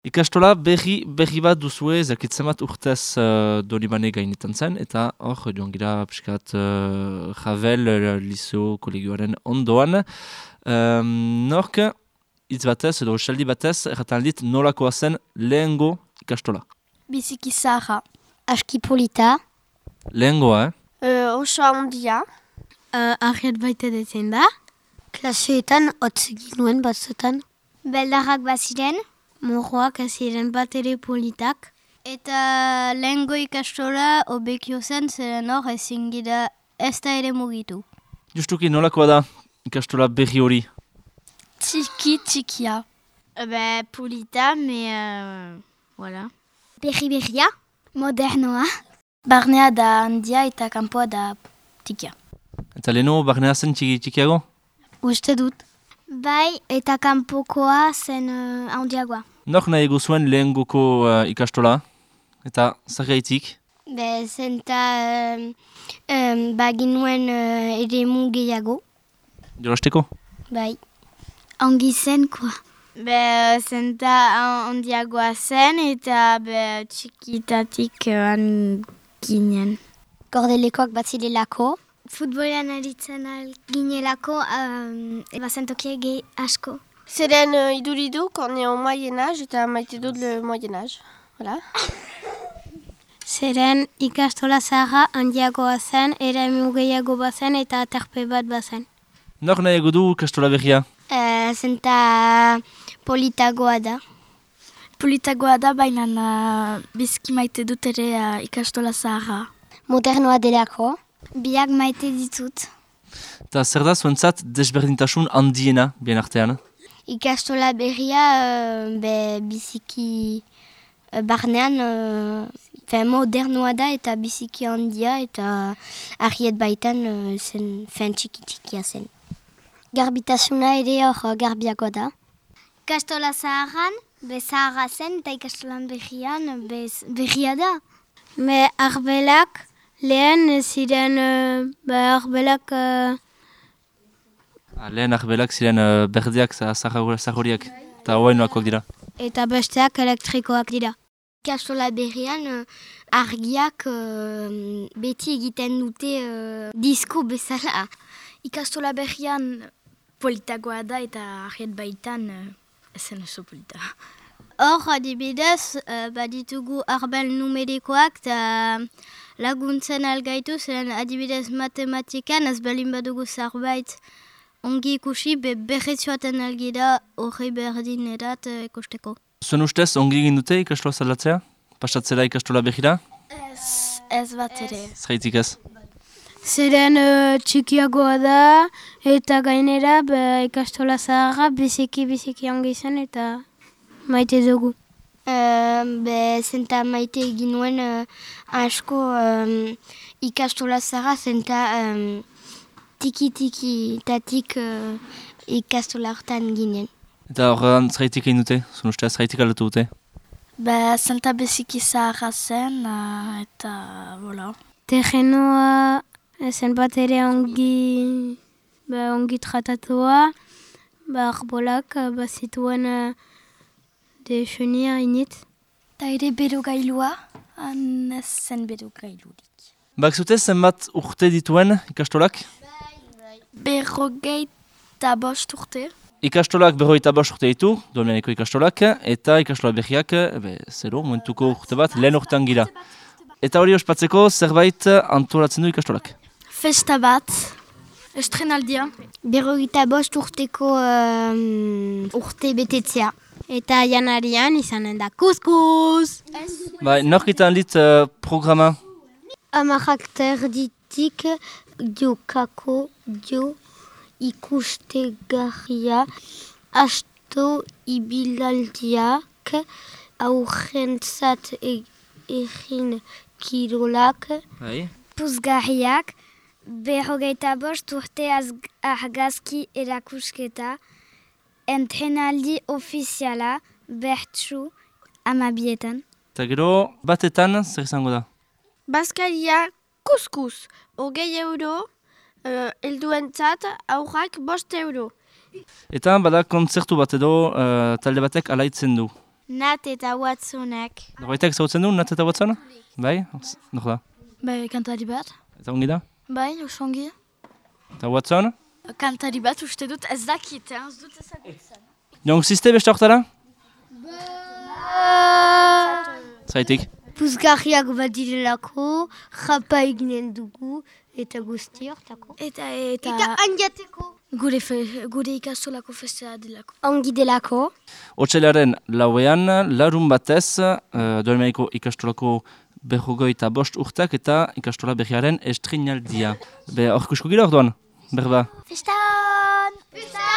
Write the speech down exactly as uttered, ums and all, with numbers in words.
Ikastola berri, berri bat duzue, zakitzen bat urtez uh, Donibane gainetan zen, eta hor, joan gira piskat uh, Javel, uh, Liso, kolegioaren ondoan. Um, nork, hitz batez, edo esaldi batez, erratan dit nolakoa zen lehengo ikastola. Biziki zaharra. Aski polita. Lehengoa, eh? Uh, oso handia. Uh, Arret baita dezen da. Klaseetan, hotz ginuen batzutan. Beldarrak baziren. Morroak aziren bat ere politak. Eta lehengo ikastola obekio zen, zeren hor ezin gira ez da ere mugitu. Justuki nolakoa da ikastola berri hori? Txiki txikia. Be, polita, me... Uh, voilà. Berri berria, modernoa. Barnea da handia eta kanpoa da txikia. Eta leheno barnea zen txiki txikiago? Uste dut. Bai, eta kanpokoa zen uh, handiagoa. Nor nahi eguzuen lehengoko uh, ikastola? Eta zergaitik? Be, zenta um, um, baginuen uh, ere mu gehiago. Jolasteko? Bai. Ongi zen, koa. Be, zenta handiagoa zen eta be, txikitatik uh, ginen. Gordelekoak batzilelako. Futbolean aritzen ginelako, um, bazentokia gehi asko. Zeren uh, iduridu, kone o moyen-âge eta maite dut le moyen-âge. Voilà. Zeren ikastola zaharra handiagoa zen, eremu gehiago bazen eta aterpe bat bazen. Nor nahi egu du ikastola berria? Uh, zenta politagoa da. Politagoa da, baina uh, bizki maite dut ere uh, ikastola zaharra. Modernoa delako. Biak maite ditut. Eta zer da zuentzat desberdintasun handiena bien artean? Ikastola berria uh, be, biziki uh, barnean uh, modernoa da eta biziki handia eta argiet baitan uh, zen fen txiki txikia zen. Garbitasuna ere hor garbiago da. Ikastola zaharran be zaharra zen eta ikastolan berrian be, berria da. Me arbelak lehen ziren uh, ba, arbelak... Uh... Ah, lehen arbelak ziren uh, berdeak zahoriak eta hoainoakoak dira. Eta besteak elektrikoak dira. Ikastola berrian uh, argiak uh, beti egiten dute uh, disko bezala. Ikastola berrian politagoa da eta argiet baitan uh, ezen oso polita. Hor, adibidez, uh, baditugu arbel numerikoak eta laguntzen algaitu, zeren adibidez matematikan, ez balin badugu zarbait ongi ikusi, be berretxoaten algira horri berdin erat uh, ikusteko. Zuen ustez, ongi egin dute ikastola zaldatzea? Pasatzera ikastola berrira? Ez, ez bat ere. Zeraitik ez? Zeren uh, txikiagoa da eta gainera be, ikastola zaharra biziki-biziki ongi zen eta maite dugu. Uh, be, zenta maite egin nuen uh, asko um, ikastola zaharra zenta um, tiki-tiki-tatik uh, ikastola hortan ginen. Eta horrean zeraitik egin dute? Zuen ustez, zeraitik aldatu dute? Be, zenta biziki zaharra zen uh, eta, voilà. Terrenoa zen bat ere ongi, be, ongi tratatua, ba, arbolak bazituen uh, de chenia init. Ta ere berogailua, han ez zen berogailurik. Bak zute zenbat urte dituen ikastolak? Berrogeita bost urte. Ikastolak berrogeita bost urte ditu, Donibaneko ikastolak, eta ikastola berriak, be, zero, momentuko urte bat, lehen urtean gira. Eta hori ospatzeko zerbait antolatzen du ikastolak? Festa bat, estrenaldia. Berrogeita bost urteko um, urte betetzea. Eta janarian izanen da kuskus! Ba, norkitan dit uh, programa? Amarrak terditik diokako dio ikustegarria asto ibilaldiak aurrentzat egin kirolak Bai. puzgarriak berrogeita bost urte argazki erakusketa entrenaldi ofiziala bertsu amabietan. Eta gero, batetan zer izango da? Bazkaria kuskus, hogei euro, uh, elduentzat aurrak bost euro. Eta bada kontzertu bat edo uh, talde batek alaitzen du. Nat eta Watsonek. Norbaitek zautzen du, Nat eta Watson? Bai? Nog da? Bai, kantari bat. Eta ongi da? Bai, osongi. Eta Watson? Kantari bat uste dut ez dakit, ez dut ezagutzen. Jong ziste beste hortara? Zaitik? Puzgarriak bat direlako, japa eginen dugu, eta guzti hortako. Eta, eta... Eta handiateko. Gure, fe, gure ikastolako festea delako. Ongi delako. Otsailaren lauean, larun batez, uh, Doimeiko ikastolako berrogoi eta bost urtak eta ikastola berriaren estrinaldia. Be, hor kusko gira orduan? Berba? Festan! Festan!